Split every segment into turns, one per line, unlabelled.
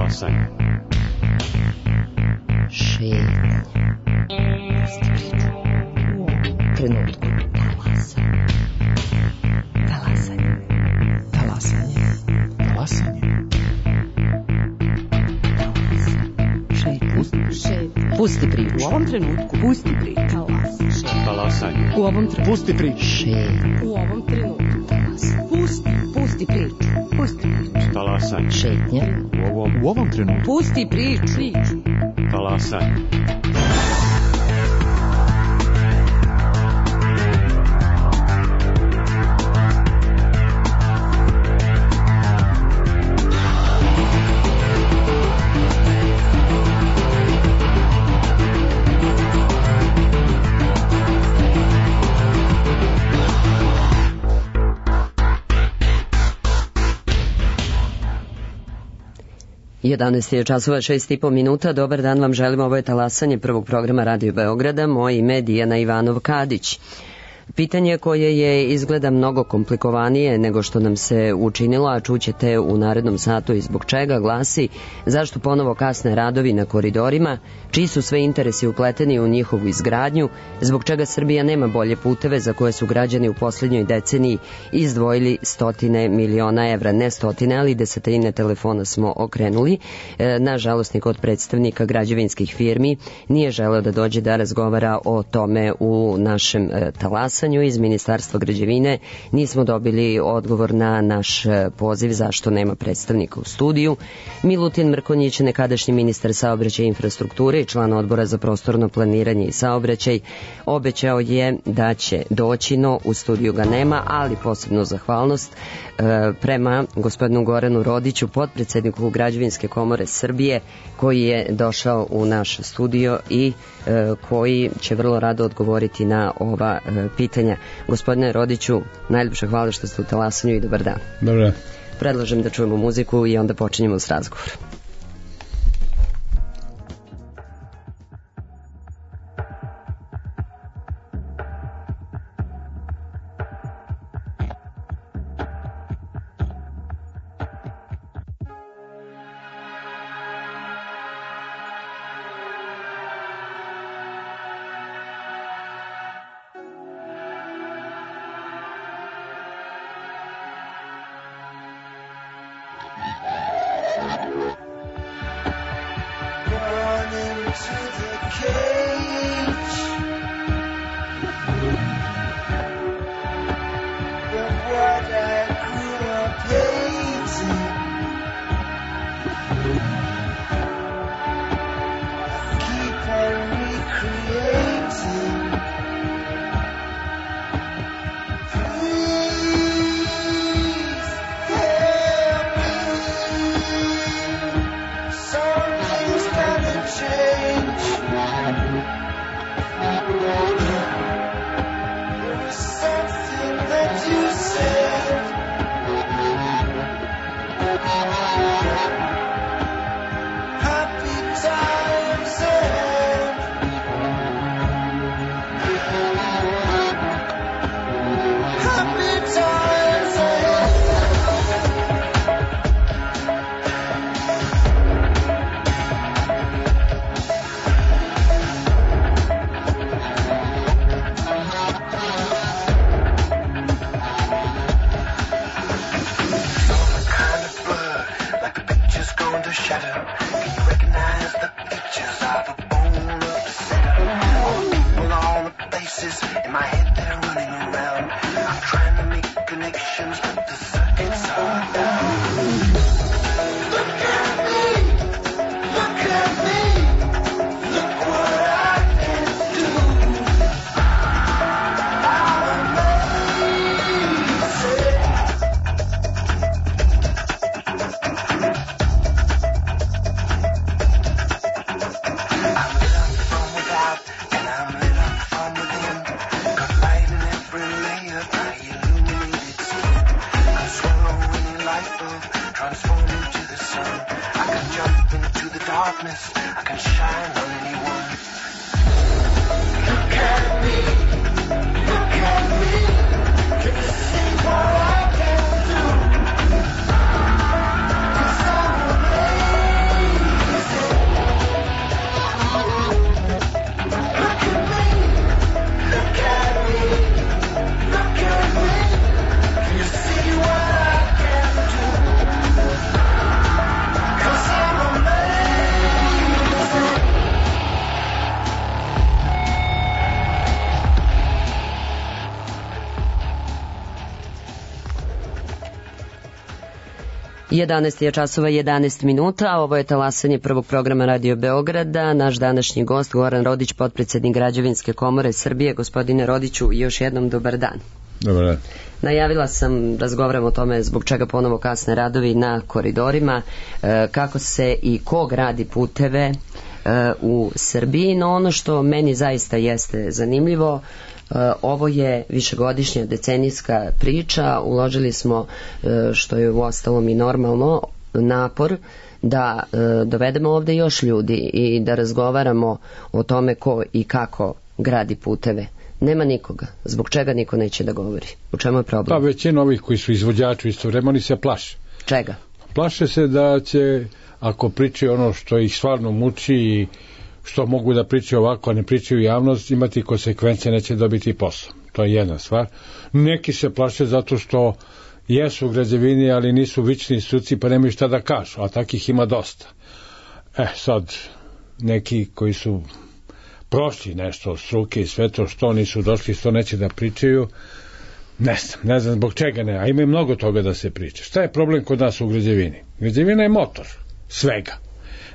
Talasanje.
Šetnja. Trenutku. Talasanje. Talasanje. Talasanje. Pusti priču.
U ovom trenutku. Pusti priču.
Talasanje.
U ovom trenutku.
Pusti priču.
Šetnja.
U ovom trenutku. Pusti priču. Pusti priču.
Talasanje.
Šetnja.
U ovom trenutku.
Pusti priču.
Talasanje.
Jedanaest je časova 6,5 minuta. Dobar dan vam želim. Ovo je Talasanje prvog programa Radio Beograda. Moje ime je Dijana Ivanov-Kadić. Pitanje koje je izgleda mnogo komplikovanije nego što nam se učinilo, a čućete u narednom satu i zbog čega, glasi: zašto ponovo kasne radovi na koridorima, čiji su sve interesi upleteni u njihovu izgradnju, zbog čega Srbija nema bolje puteve za koje su građani u posljednjoj deceniji izdvojili stotine miliona evra, ne stotine, ali desetine telefona smo okrenuli. Nažalost, niko od predstavnika građevinskih firmi nije želeo da dođe da razgovara o tome u našem Talasanju. Iz Ministarstva građevine nismo dobili odgovor na naš poziv zašto nema predstavnika u studiju. Milutin Mrkonjić, nekadašnji ministar saobraćaja i infrastrukture i član odbora za prostorno planiranje i saobraćaj, obećao je da će doći, no u studiju ga nema, ali posebnu zahvalnost prema gospodinu Goranu Rodiću, potpredsedniku Građevinske komore Srbije, koji je došao u naš studio i koji će vrlo rado odgovoriti na ova pitanja. Gospodine Rodiću, najljepše hvala što ste u Talasanju i dobar dan.
Dobar dan.
Predlažem da čujemo muziku i onda počinjemo s razgovorom. 11 je časova 11 minuta, ovo je talasanje prvog programa Radio Beograda. Naš današnji gost Goran Rodić, potpredsednik Građevinske komore Srbije. Gospodine Rodiću, još jednom dobar dan.
Dobar dan.
Najavila sam, razgovaram o tome zbog čega ponovo kasne radovi na koridorima, kako se i ko gradi puteve u Srbiji, no ono što meni zaista jeste zanimljivo, ovo je višegodišnja decenijska priča, uložili smo, što je uostalom i normalno, napor da dovedemo ovde još ljudi i da razgovaramo o tome ko i kako gradi puteve. Nema nikoga. Zbog čega niko neće da govori? U čemu je problem?
Pa većina ovih koji su izvođači istovremeno, oni se plaše.
Čega?
Plaše se da će, ako pričaju ono što ih stvarno muči i što mogu da pričaju ovako, a ne pričaju javnost, imati konsekvence, neće dobiti posao. To je jedna stvar. Neki se plaše zato što jesu u građevini, ali nisu vični struci, pa nemaju šta da kažu, a takih ima dosta. Sad, neki koji su prošli nešto od struke i sve to, što nisu došli, što neće da pričaju, ne znam zbog čega ne, a ima i mnogo toga da se priča. Šta je problem kod nas u građevini? Građevina je motor svega.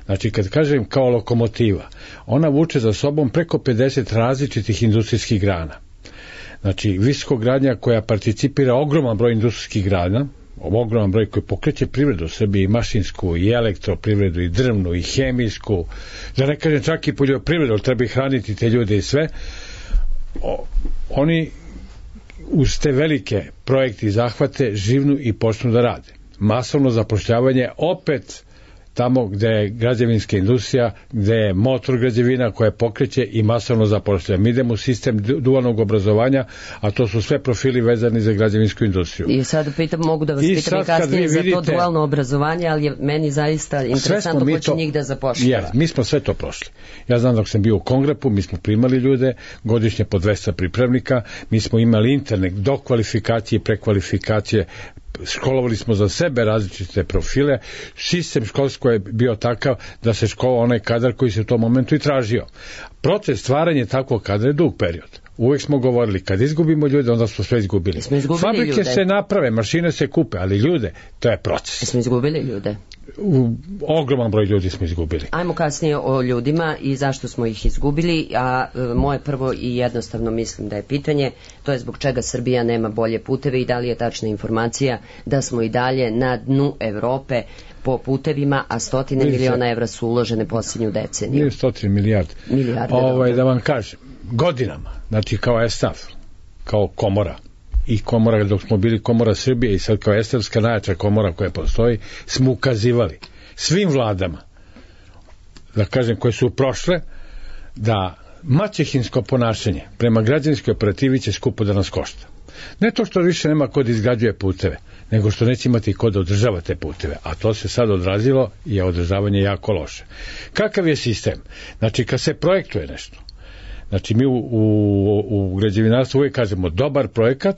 Znači, kad kažem kao lokomotiva, ona vuče za sobom preko 50 različitih industrijskih grana. Znači, visokogradnja koja participira ogroman broj industrijskih grana, ogroman broj koji pokreće privredu u Srbiji, i mašinsku, i elektroprivredu, i drvnu, i hemijsku, da ne kažem čak i poljoprivredu, treba ih hraniti te ljude i sve. Oni uz te velike projekte i zahvate živnu i počnu da rade. Masovno zapošljavanje opet tamo gde je građevinska industrija, gde je motor građevina koja pokreće i masovno zapošljava. Mi idemo u sistem dualnog obrazovanja, a to su sve profili vezani za građevinsku industriju.
I sad mogu da vas pitam i kasnije za to dualno obrazovanje, ali je meni zaista interesantno ko će njih da zapošljava.
Mi smo sve to prošli. Ja znam dok sam bio u Kongrepu, mi smo primali ljude, godišnje po 200 pripravnika, mi smo imali internet do kvalifikacije i prekvalifikacije, školovali smo za sebe različite profile, sistem školsko je bio takav da se školao onaj kadar koji se u tom momentu i tražio. Proces stvaranja takvog kadra je dug period. Uvijek smo govorili, kad izgubimo ljude, onda smo sve izgubili. Fabrike ljude se naprave, mašine se kupe, ali ljude, to je proces.
Smo izgubili ljude?
Ogroman broj ljudi smo izgubili.
Ajmo kasnije o ljudima i zašto smo ih izgubili, a moje prvo i jednostavno mislim da je pitanje, to je zbog čega Srbija nema bolje puteve i da li je tačna informacija da smo i dalje na dnu Evrope po putevima, a stotine miliona evra su uložene posljednju deceniju.
Nije stotine milijarde. Da vam kažem, godinama, znači kao ESTAF, kao komora, i komora, dok smo bili komora Srbije i sad kao estarska najjača komora koja postoji, smo ukazivali svim vladama, da kažem, koje su prošle, da maćehinsko ponašanje prema građanskoj operativi će skupo da nas košta. Ne to što više nema ko da izgrađuje puteve, nego što neće imati ko da održava te puteve, a to se sad odrazilo i je održavanje jako loše. Kakav je sistem? Znači, kad se projektuje nešto, znači mi u građevinarstvu uvijek kažemo dobar projekat,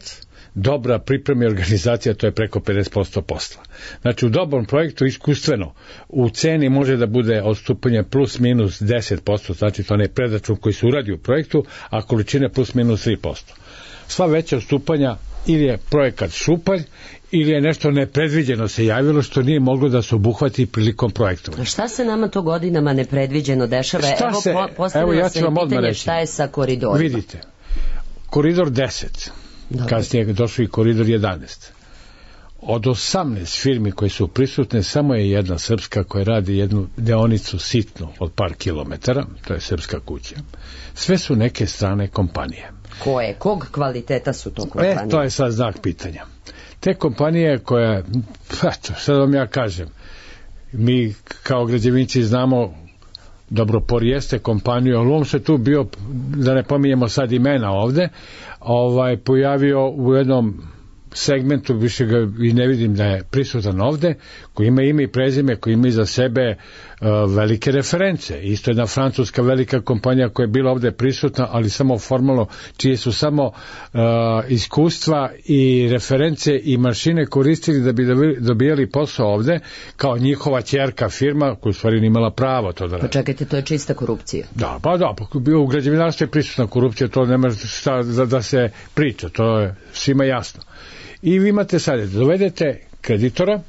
dobra priprema i organizacija, to je preko 50% posla. Znači u dobrom projektu iskustveno u ceni može da bude odstupanje plus minus 10%, znači to ne predračun koji se uradi u projektu, a količine plus minus 3%. Sva veća odstupanja ili je projekat šupalj ili je nešto nepredviđeno se javilo što nije moglo da se obuhvati prilikom projektovanja.
A šta se nama to godinama nepredviđeno dešava? Postavilo se pitanje šta je sa koridorima.
Vidite, koridor 10, kasnije je došao i koridor 11. Od 18 firmi koje su prisutne, samo je jedna srpska koja radi jednu deonicu sitnu od par kilometara, to je Srpska kuća. Sve su neke strane kompanije.
Koje? Kog kvaliteta su to kompanije?
To je sad znak pitanja. Te kompanije koje, sad vam ja kažem, mi kao građevinci znamo dobro, Porijeste kompaniju, ali on se tu bio, da ne pominjemo sad imena ovde, pojavio u jednom segmentu, više ga i ne vidim da je prisutan ovde, koji ima ime i prezime, koji ima iza sebe velike reference. Isto jedna francuska velika kompanija koja je bila ovde prisutna, ali samo formalno, čije su samo iskustva i reference i mašine koristili da bi dobijali posao ovde, kao njihova ćerka firma, koja u stvari nije imala pravo to da radi.
Pa čekajte, to je čista korupcija.
Da, u građevinarstvu je prisutna korupcija, to nema šta da se priča, to je svima jasno. I vi imate sad, dovedete kreditora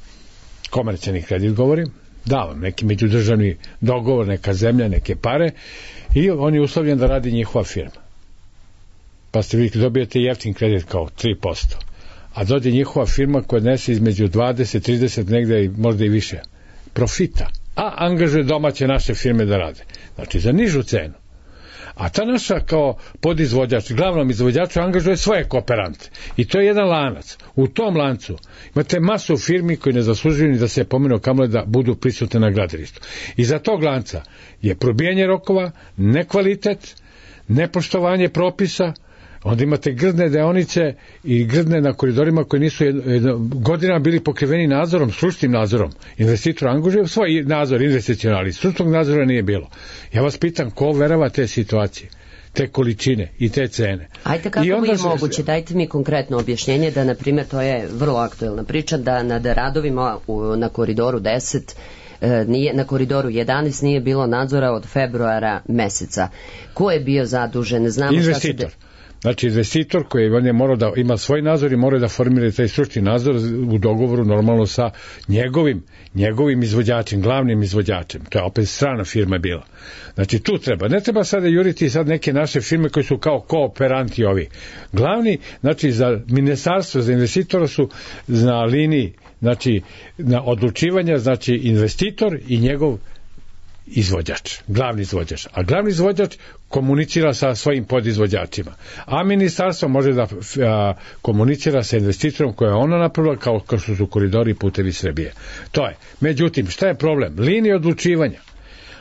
komercijalni kredit govorim, da vam neki međudržavni dogovor, neka zemlja, neke pare i on je uslovljen da radi njihova firma. Pa ste vi dobijete jeftin kredit kao 3%, a dođe njihova firma koja nese između 20, 30, negde možda i više profita, a angažuje domaće naše firme da rade. Znači za nižu cenu. A ta naša kao podizvođač, glavnom izvođaču angažuje svoje kooperante. I to je jedan lanac. U tom lancu imate masu firmi koji ne zaslužuju ni da se pomenu kamole da budu prisutne na gradilištu. I za tog lanca je probijanje rokova, nekvalitet, nepoštovanje propisa, onda imate grdne deonice i grdne na koridorima koji nisu godinama bili pokriveni nadzorom, stručnim nadzorom. Investitor angažuje svoj nadzor investicionalni, stručnog nadzora nije bilo. Ja vas pitam, ko verava te situacije, te količine i te cene?
Ajde, kako je moguće? Dajte mi konkretno objašnjenje da, na primjer, to je vrlo aktuelna priča, da nad radovima na koridoru 10 na koridoru 11 nije bilo nadzora od februara meseca. Ko je bio zadužen? Znamo
investitor. Znači, investitor koji on je morao da ima svoj nadzor i mora da formira taj stručni nadzor u dogovoru normalno sa njegovim izvođačem, glavnim izvođačem. To je opet strana firma bila. Znači, tu treba. Ne treba sada juriti sad neke naše firme koji su kao kooperanti ovi. Glavni, znači, za ministarstvo, za investitora su na liniji, znači, na odlučivanja, znači, investitor i njegov izvođač, glavni izvođač. A glavni izvođač komunicira sa svojim podizvođačima. A ministarstvo može da komunicira sa investitorom koje je ona napravila kao što su koridori i putevi Srbije. To je. Međutim, šta je problem? Linije odlučivanja.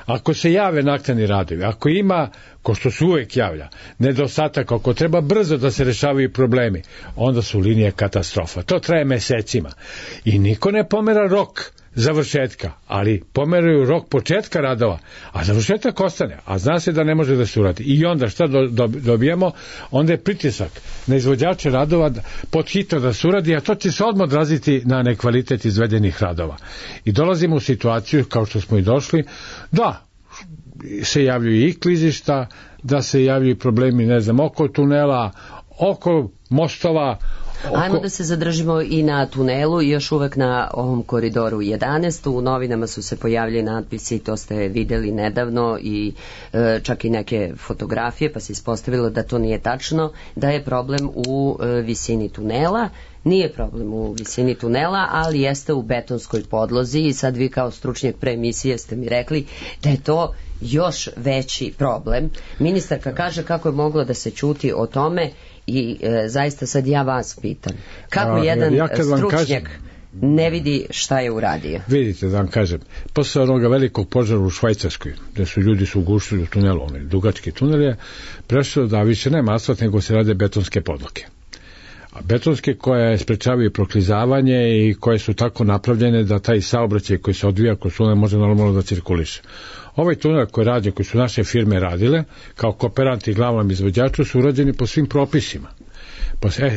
Ako se jave naknadni radovi, ako ima, ko što se uvek javlja, nedostatak, ako treba brzo da se rešavaju problemi, onda su linije katastrofa. To traje mesecima. I niko ne pomera rok završetka, ali pomeraju rok početka radova, a završetak ostane, a zna se da ne može da se uradi. I onda šta dobijemo? Onda je pritisak na izvođače radova pod hitno da se uradi, a to će se odmah odraziti na nekvalitet izvedenih radova. I dolazimo u situaciju, kao što smo i došli, da se javljaju i klizišta, da se javljaju problemi, ne znam, oko tunela, oko mostova.
Ajmo da se zadržimo i na tunelu i još uvek na ovom koridoru 11. U novinama su se pojavili natpisi, to ste videli nedavno i čak i neke fotografije, pa se ispostavilo da to nije tačno, da je problem u visini tunela. Nije problem u visini tunela, ali jeste u betonskoj podlozi i sad vi kao stručnjak pre emisije ste mi rekli da je to još veći problem. Ministarka kaže kako je moglo da se ćuti o tome i zaista sad ja vas pitam. Kako jedan stručnjak ne vidi šta je uradio?
Vidite, da vam kažem, posle onoga velikog požara u Švajcarskoj, gde su ljudi ugušili u tunelu, onaj dugački tunel je prešlo da više nema asfalt, nego se rade betonske podloke. A betonske koje sprečavaju proklizavanje i koje su tako napravljene da taj saobraćaj koji se odvija kroz tunel može normalno da cirkuliše. Ovaj tunel koji radi, koji su naše firme radile, kao kooperanti i glavnom izvođaču, su urađeni po svim propisima.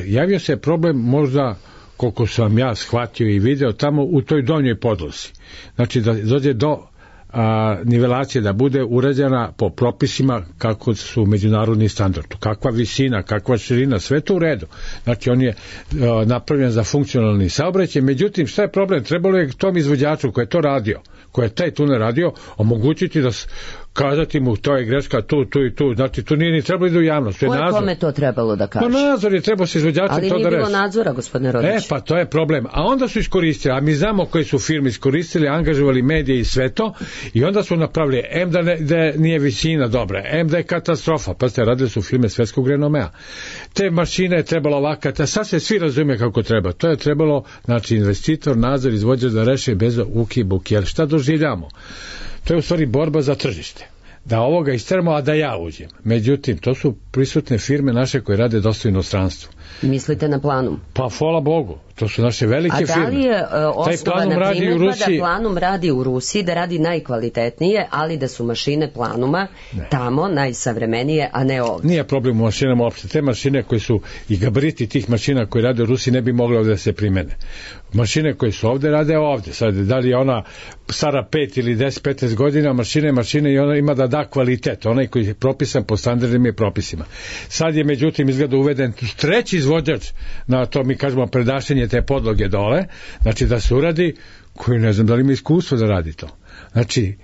Javio se problem možda, koliko sam ja shvatio i video, tamo u toj donjoj podlozi. Znači da dođe do nivelacije, da bude urađena po propisima kako su međunarodni standardi. Kakva visina, kakva širina, sve to u redu. Znači on je napravljen za funkcionalni saobraćaj. Međutim, šta je problem? Trebalo je tom izvođaču koji je to radio, koji je taj tunel radio, omogućiti da kazati mu to je greška tu i tu, znači tu nije ni trebalo da u javnost.
Ko je kome to trebalo da kaže?
Pa nadzor je trebao se izvođačem to da reši.
Ali nije bilo nadzora, gospodine Rodić.
Pa to je problem. A onda su iskoristili, a mi znamo koje su firme iskoristili, angažovali medije i sve to, i onda su napravili, da nije visina dobra, da je katastrofa, pa ste radili su firme svetskog renomea. Te mašine je trebalo ovakati, a sad se svi razume kako treba. To je trebalo, znači investitor, nadzor, izvođač da reše bez uki buki. Jer šta doživljamo? To je u stvari borba za tržište. Da ovoga isteramo, a da ja uđem. Međutim, to su prisutne firme naše koje rade dosta u inostranstvu.
Mislite na Planum?
Pa, hvala Bogu, to su naše velike firme.
A da li je osnovana primjedba da Planum radi u Rusiji, da radi najkvalitetnije, ali da su mašine Planuma tamo najsavremenije, a ne ovdje? Nije
problem u mašinama uopšte. Te mašine koje su i gabariti tih mašina koje rade u Rusiji ne bi mogle ovdje da se primene. Mašine koje su ovdje rade ovdje. Sad, da li je ona stara 5 ili 10-15 godina, mašine i ona ima da da kvalitet. Onaj koji je propisan po standardnim i propisima. Sad je međutim izgleda uveden treći izvođač na to, mi kažemo predašenje te podloge dole, znači da se uradi, koji ne znam da li ima iskustvo da radi to. Znači,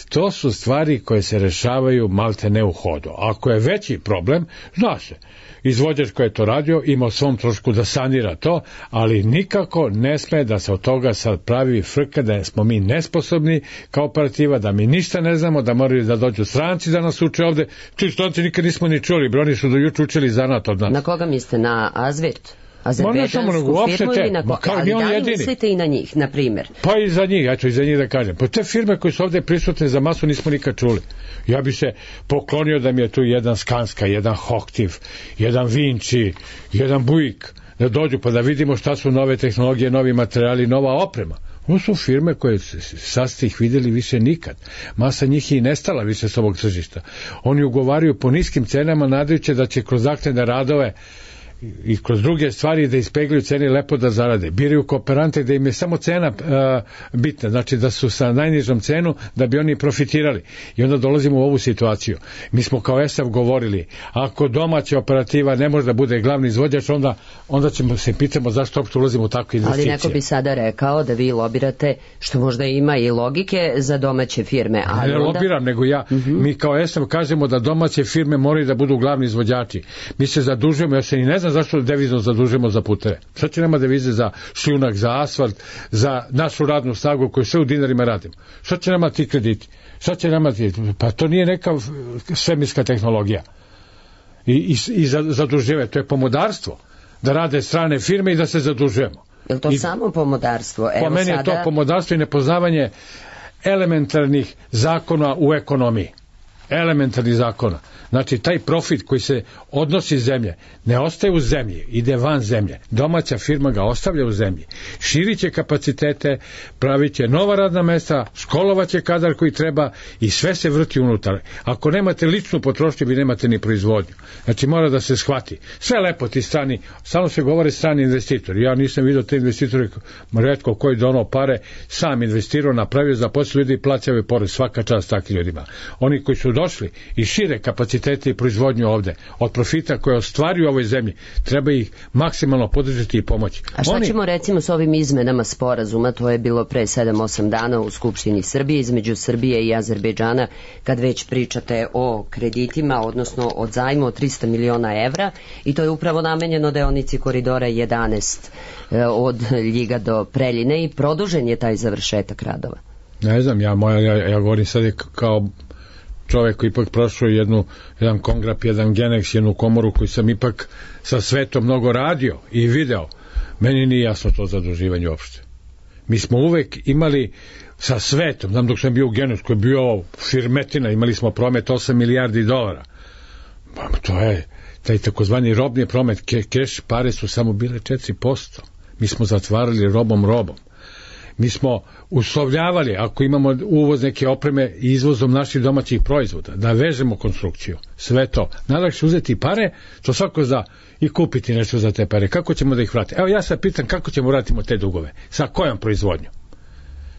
to su stvari koje se rešavaju malte ne u hodu. Ako je veći problem, zna se, izvođač koji je to radio ima o svom trošku da sanira to, ali nikako ne sme da se od toga sad pravi frka da smo mi nesposobni kao operativa, da mi ništa ne znamo, da moraju da dođu stranci da nas uče ovde. Ti stranci nikad nismo ni čuli, oni su do juče učili zanat od nas.
Na koga mislite, na Azvirt? Azerbejdžansku firmu ili na koga? Ali da li mislite i na njih, na primjer?
Pa i za njih, eto i za njih da kažem. Pa te firme koje su ovde prisutne za masu nismo nikad čuli. Ja bi se poklonio da mi je tu jedan Skanska, jedan Hoktiv, jedan Vinci, jedan Buick, da dođu pa da vidimo šta su nove tehnologije, novi materijali, nova oprema. Ovo su firme koje sad ste ih videli više nikad. Masa njih je i nestala više s ovog tržišta. Oni ugovaraju po niskim cenama nadajući da će kroz naknadne radove i kroz druge stvari da ispegljuju cene lepo da zarade. Biraju kooperante da im je samo cena bitna, znači da su sa najnižom cenu da bi oni profitirali. I onda dolazimo u ovu situaciju. Mi smo kao ESAF govorili, ako domaća operativa ne može da bude glavni izvođač, onda ćemo se pitamo zašto uopšte ulazimo u takve investicije.
Ali neko bi sada rekao da vi lobirate, što možda ima i logike za domaće firme. Ali
ne onda... lobiram, nego ja. Mi kao ESAF kažemo da domaće firme moraju da budu glavni izvođači. Mi se zadužujemo, ja se ni ne znam zašto devizno zadužujemo za puteve. Šta će nema devize za šljunak, za asfalt, za našu radnu snagu koju sve u dinarima radimo? Šta će nama ti krediti? Šta će nama ti? Pa to nije neka svemirska tehnologija. I zaduživanje, to je pomodarstvo. Da rade strane firme i da se zadužujemo.
Je li to samo pomodarstvo?
Po meni je to pomodarstvo i nepoznavanje elementarnih zakona u ekonomiji. Elementarnih zakona. Znači, taj profit koji se odnosi iz zemlje ne ostaje u zemlji, ide van zemlje. Domaća firma ga ostavlja u zemlji. Širit će kapacitete, pravit će nova radna mesta, školovaće kadar koji treba i sve se vrti unutar. Ako nemate ličnu potrošnju, vi nemate ni proizvodnju. Znači, mora da se shvati. Sve lepo ti strani, stalno se govore strani investitori. Ja nisam vidio te investitore, retko koji donao pare, sam investirao, napravio, zaposlio ljudi i plaćaju porez. Svaka čast takvim ljudima. Oni koji su došli i šire kapacitete i proizvodnju ovde, od profita koje ostvaruju u ovoj zemlji, treba ih maksimalno podržati i pomoći.
A šta ćemo recimo s ovim izmenama sporazuma, to je bilo pre 7-8 dana u Skupštini Srbije, između Srbije i Azerbejdžana, kad već pričate o kreditima, odnosno od zajmu od 300 miliona evra, i to je upravo namenjeno deonici koridora 11 od Ljiga do Preljine i produžen je taj završetak radova.
Ne znam, ja govorim sad kao čovjek koji ipak prošao jedan kongrap, jedan Genex, jednu komoru koju sam ipak sa svetom mnogo radio i video. Meni nije jasno to zaduživanje uopšte. Mi smo uvek imali sa svetom, znam dok sam bio u Genex, koji je bio firmetina, imali smo promet 8 milijardi dolara. To je taj takozvani robni promet, keš pare su samo bile 4%. Mi smo zatvarali robom. Mi smo uslovljavali, ako imamo uvoz neke opreme i izvozom naših domaćih proizvoda, da vežemo konstrukciju. Sve to. Najlakše uzeti pare, to svako zna, i kupiti nešto za te pare. Kako ćemo da ih vratimo? Evo ja sad pitam kako ćemo vratimo te dugove. Sa kojom proizvodnjom?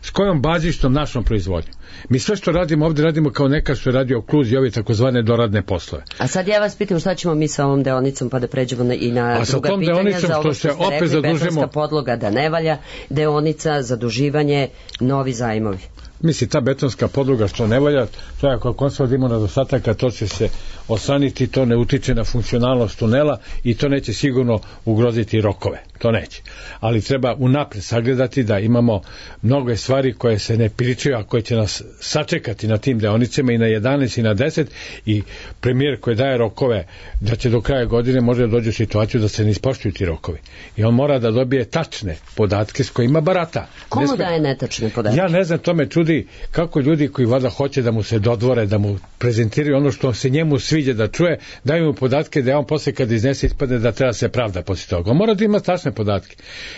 S kojom bazičnom našom proizvodnjom? Mi sve što radimo ovdje radimo kao neka što je radio Kluz i ove takozvane doradne poslove.
A sad ja vas pitam šta ćemo mi sa ovom deonicom, pa da pređemo i na druga pitanja. Za ovo što ste rekli, betonska podloga da ne valja, deonica, zaduživanje, novi zajmovi.
Misli, ta betonska podloga što ne valja, to je ako konstantno ima nedostataka, to će se osaniti, to ne utiče na funkcionalnost tunela i to neće sigurno ugroziti rokove. To neće. Ali treba unapred sagledati da imamo mnogo stvari koje se ne pričaju, a koje će nas sačekati na tim deonicama i na 11 i na 10 i premijer koji daje rokove da će do kraja godine može da dođe u situaciju da se ne ispoštuju ti rokovi. I on mora da dobije tačne podatke s kojima barata.
Komu daje netačne podatke?
Ja ne znam, to me čudi kako ljudi koji valjda hoće da mu se dodvore, da mu prezentiraju ono što se njemu sviđa da čuje, daju mu podatke da on posle kad iznese ispadne da treba se pravda posle toga. On mora da ima tačne podatke.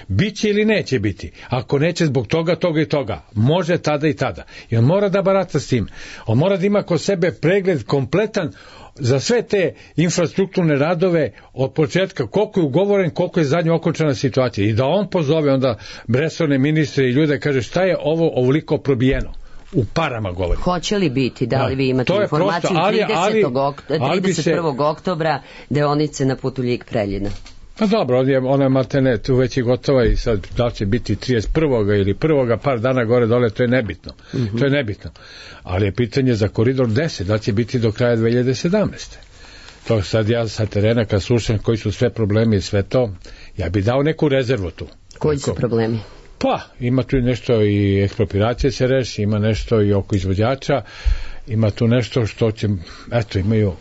Biće ili neće biti. Ako neće zbog toga i toga, može tada i tada. I on mora da barata s tim. On mora da ima kod sebe pregled kompletan za sve te infrastrukturne radove od početka, koliko je ugovoren, koliko je zadnja okončana situacija. I da on pozove onda resorne ministre i ljude, kaže šta je ovo ovoliko probijeno. U parama govori.
Hoće li biti, da li vi imate informaciju 31. oktobra deonice na putu Ljig-Preljina?
Pa dobro, ona je maltene tu već je gotova i sad da li će biti 31. ili 1. par dana gore dole, to je nebitno. To je nebitno. Ali je pitanje za koridor 10, da li će biti do kraja 2017. To sad ja sa terena kad slušam koji su sve problemi i sve to, ja bi dao neku rezervu tu.
Koji su problemi?
Pa, ima tu nešto i ekspropriacije se reši, ima nešto i oko izvođača, ima tu nešto što će, eto, imaju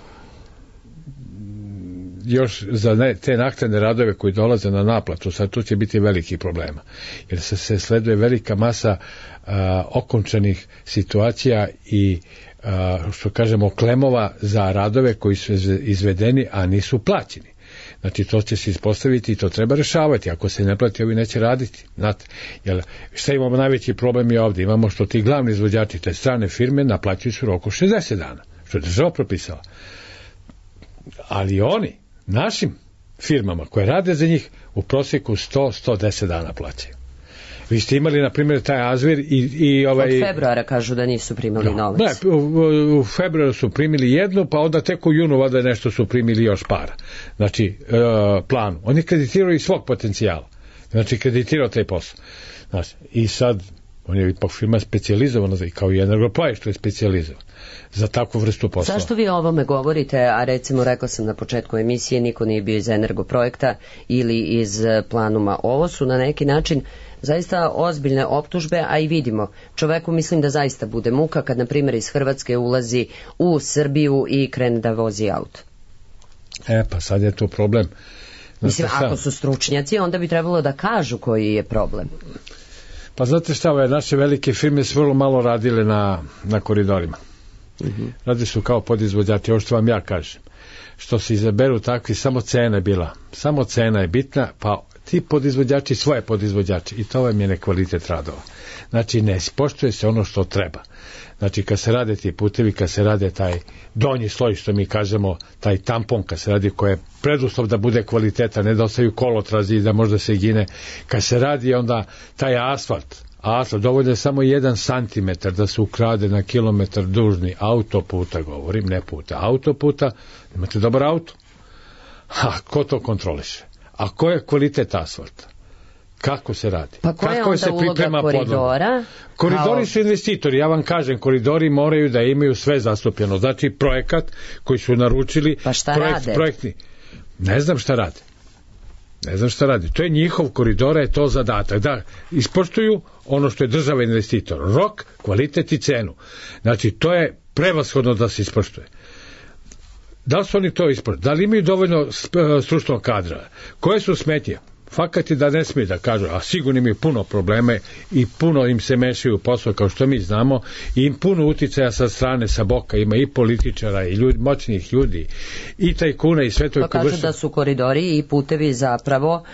još za te naknadne radove koji dolaze na naplatu, sad tu će biti veliki problema, jer se sleduje velika masa okončanih situacija i što kažemo klemova za radove koji su izvedeni, a nisu plaćeni. Znači to će se ispostaviti i to treba rešavati. Ako se ne plati, ovi neće raditi. Znate, jer šta imamo najveći problem je ovdje? Imamo što ti glavni izvođači, te strane firme, naplaćuju su roku 60 dana, što je država propisala. Ali oni, našim firmama koje rade za njih, u prosjeku 100-110 dana plaćaju. Vi ste imali, na primjer, taj Azvir i
od februara kažu da nisu primili novac.
Ne, u februaru su primili jednu, pa onda tek u junu valjda nešto su primili još para. Znači, plan. Oni kreditiraju iz svog potencijala. Znači, kreditirao taj posao. Znači, i sad, on je ipak firma specijalizovana, kao i Energoplaj što je specijalizovan za takvu vrstu posla.
Zašto vi o ovome govorite, a recimo rekao sam na početku emisije, niko nije bio iz Energoprojekta ili iz Planuma. Ovo su na neki način zaista ozbiljne optužbe, a i vidimo, čoveku mislim da zaista bude muka kad, na primjer, iz Hrvatske ulazi u Srbiju i krene da vozi auto.
Pa sad je to problem.
Mislim, ako su stručnjaci, onda bi trebalo da kažu koji je problem.
Pa znate šta, naše velike firme su vrlo malo radile na koridorima. Radi su kao podizvođači, ovo što vam ja kažem. Što se izaberu takvi, samo cena je bila. Samo cena je bitna, pa ti podizvođači svoje podizvođači i to vam je nekvalitet radova. Znači ne ispoštuje se ono što treba. Znači kad se rade ti putevi, kad se rade taj donji sloj što mi kažemo, taj tampon kad se radi koji je preduslov da bude kvaliteta, ne da ostaju kolotrazi i da možda se gine. Kad se radi onda taj asfalt, dovoljno je samo 1 santimetar da se ukrade na kilometar dužni autoputa, govorim, ne puta, autoputa, imate dobar auto. Ko to kontroliše? A ko je kvalitet asfalta? Kako se radi?
Pa koja je onda uloga koridora?
Koridori su investitori, ja vam kažem, koridori moraju da imaju sve zastupljeno. Znači projekat koji su naručili,
pa šta rade?
Projektni. Ne znam šta rade. To je njihov koridora, je to zadatak. Da ispoštuju ono što je država investitor. Rok, kvalitet i cenu. Znači to je prevashodno da se ispoštuje. Da li su oni to ispoštuju? Da li imaju dovoljno stručnog kadra? Koje su smetnje? Fakat je da ne smije da kažu, a sigurno imaju puno probleme i puno im se mešaju u posao kao što mi znamo i im puno uticaja sa strane, sa boka, ima i političara i moćnih ljudi i tajkuna i sve to.
Pa kažu da su koridori i putevi zapravo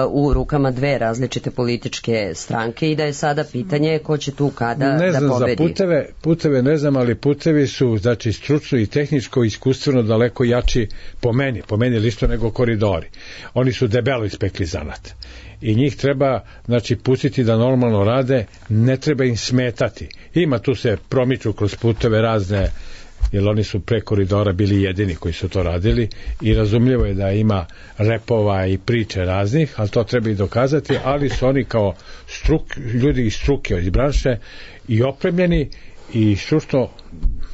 u rukama dve različite političke stranke i da je sada pitanje ko će tu kada da pobedi.
Ne znam, za puteve ne znam, ali putevi su znači stručno i tehničko iskustveno daleko jači po meni lično nego koridori. Oni su debelo ispekli zanat. I njih treba, znači, pustiti da normalno rade, ne treba im smetati. Ima tu se promiču kroz puteve razne, jer oni su pre koridora bili jedini koji su to radili i razumljivo je da ima repova i priče raznih, ali to treba i dokazati, ali su oni kao ljudi iz struke, iz branše i opremljeni i stručno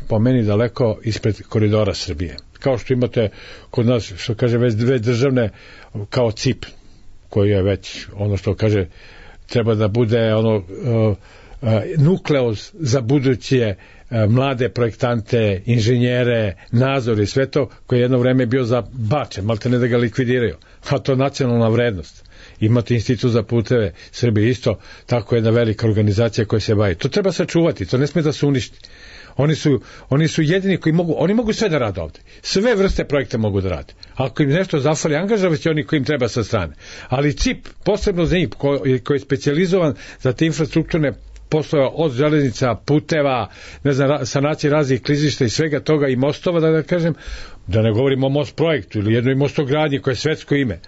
po meni daleko ispred koridora Srbije. Kao što imate kod nas, što kaže, već dve državne kao CIP, koji je već ono što kaže treba da bude nukleus za buduće mlade projektante, inženjere, nadzor i sve to, koji je jedno vreme bio zabačen, malte ne da ga likvidiraju, a to je nacionalna vrednost. Imate institut za puteve Srbije isto, tako jedna velika organizacija koja se bavi. To treba sačuvati, to ne smije da se uništi. Oni su jedini koji mogu sve da rade ovde. Sve vrste projekta mogu da rade. Ako im nešto zafali, angažovat će oni koji im treba sa strane. Ali CIP, posebno za njih, koji je specijalizovan za te infrastrukturne poslove od železnica, puteva, ne znam, sanacije raznih klizišta i svega toga i mostova, da kažem, da ne govorimo o most projektu ili jednoj mostogradnji koje je svetsko ime.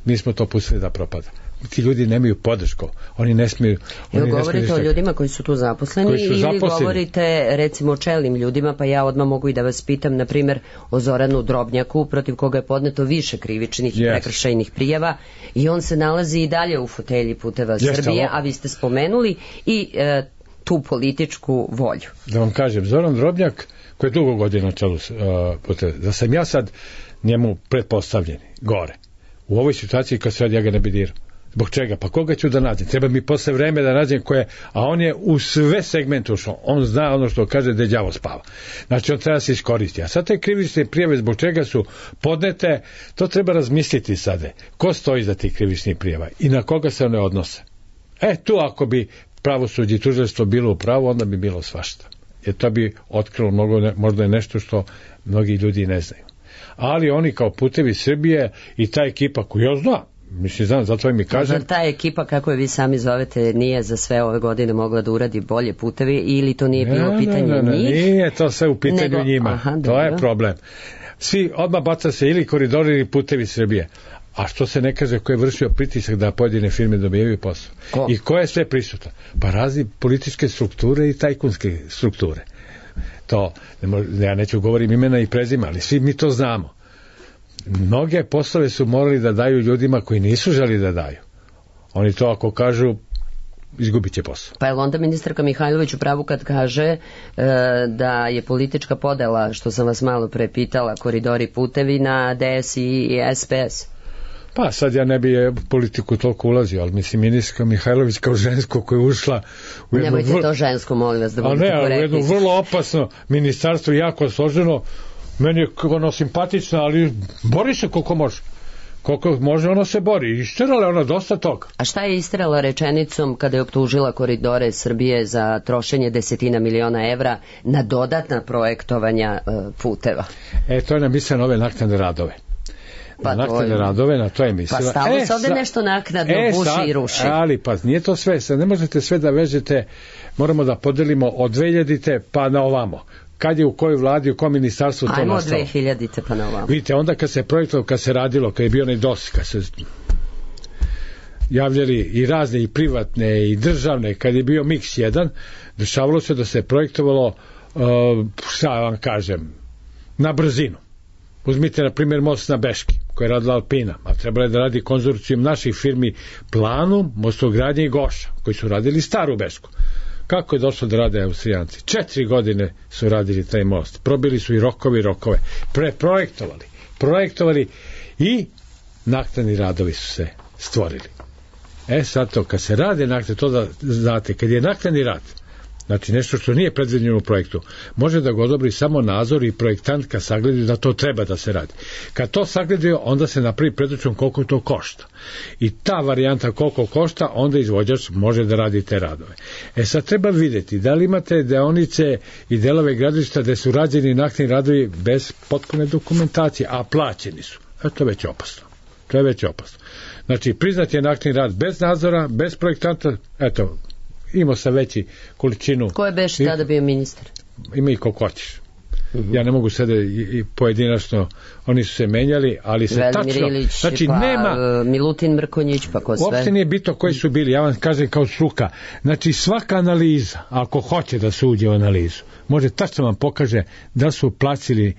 mi smo to pustili da propada. Ti ljudi nemaju podršku, oni ne smiju...
Evo govorite o ljudima koji su tu zaposleni ili govorite recimo o čelnim ljudima, pa ja odmah mogu i da vas pitam, na primjer, o Zoranu Drobnjaku, protiv koga je podneto više krivičnih i prekršajnih prijava i on se nalazi i dalje u fotelji Puteva Srbije, a vi ste spomenuli i tu političku volju.
Da vam kažem, Zoran Drobnjak, koji je dugo godina na čelu Puteva, da sam ja sad njemu pretpostavljeni, gore, u ovoj situaciji kad sad ja ga ne bi dirao. Zbog čega? Pa koga ću da nađem? Treba mi posle vreme da nađem koje, a on je u sve segmente ušao. On zna ono što kaže da đavo spava. Znači on treba se iskoristiti. A sad te krivične prijave zbog čega su podnete, to treba razmisliti sada. Ko stoji za tih krivičnih prijava i na koga se one odnose? Tu ako bi pravosuđe i tužilaštvo bilo u pravu, onda bi bilo svašta. Jer to bi otkrilo možda je nešto što mnogi ljudi ne znaju. Ali oni kao Putevi Srbije i ta ekipa koju ja znam, mislim, zato mi kažem...
Ta ekipa, kako je vi sami zovete, nije za sve ove godine mogla da uradi bolje putevi ili to nije bilo pitanje njih?
Nije to sve u pitanju njima. To je problem. Svi odmah baca se ili koridori ili Putevi Srbije. A što se ne kaže ko je vršio pritisak da pojedine firme dobijaju posao? I ko je sve prisutan? Pa razni političke strukture i tajkunske strukture. To, ja neću govorim imena i prezima, ali svi mi to znamo. Mnoge poslove su morali da daju ljudima koji nisu želi da daju. Oni to ako kažu, izgubit će posao.
Pa je onda ministarka Mihajlović u pravu kad kaže da je politička podela, što sam vas malo pre pitala, koridori putevi na DS i SPS?
Pa sad ja ne bi politiku toliko ulazio, ali mislim ministarka Mihajlović kao žensko koja je ušla u jedno...
Nemojte to žensko, molim vas, da budete korektni.
U jedno vrlo opasno ministarstvo, jako složeno. Meni je ono simpatično, ali bori se koliko može. Koliko može, ono se bori. Isterala je ona dosta toga.
A šta je isterala rečenicom kada je optužila koridore Srbije za trošenje 10 miliona evra na dodatna projektovanja puteva?
To je namislila na ove naknadne radove. Naknadne radove, na to je mislila.
Pa stalno se ovde nešto naknadno buši i ruši.
Ali pa nije to sve. Ne možete sve da vežete, moramo da podelimo od 2000 pa na ovamo. Kad je u kojoj vladi, u kojem ministarstvu to nastalo.
Ajmo 2000 pa na ovamo.
Vidite, onda kad se projektovalo, kad se radilo, kad je bio onaj DOS, kad se javljali i razne, i privatne, i državne, kad je bio Mix 1, dešavalo se da se projektovalo, šta vam kažem, na brzinu. Uzmite, na primjer, most na Beški, koji je radila Alpina, a trebalo je da radi konzorcijum naših firmi Planu, Mostogradnje i Goša, koji su radili staru Bešku. Kako je došlo da rade Austrijanci? 4 godine su radili taj most. Probili su i rokove. Projektovali i naknadni radovi su se stvorili. Sad to, kad se rade naknadni, to da znate, kad je naknadni rad, znači nešto što nije predviđeno u projektu, može da ga odobri samo nadzor i projektant kad sagledaju da to treba da se radi. Kad to sagledaju, onda se napravi predračun koliko to košta. I ta varijanta koliko košta, onda izvođač može da radi te radove. Sad treba vidjeti da li imate deonice i delove gradilišta gde su rađeni naknadni radovi bez potpune dokumentacije, a plaćeni su. To je već opasno. Znači, priznat je naknadni rad bez nadzora, bez projektanta, imao sam veći količinu.
Ko je beš tada bio ministar?
Ima i koliko hoćeš. Ja ne mogu sada i pojedinačno, oni su se menjali, ali se
tačno... Velimir Ilić,
znači,
pa
nema,
Milutin Mrkonjić, pa ko sve?
Uopšte nije bitno koji su bili, ja vam kažem kao struka. Znači, svaka analiza, ako hoće da se uđe u analizu, može tačno vam pokaže da su placili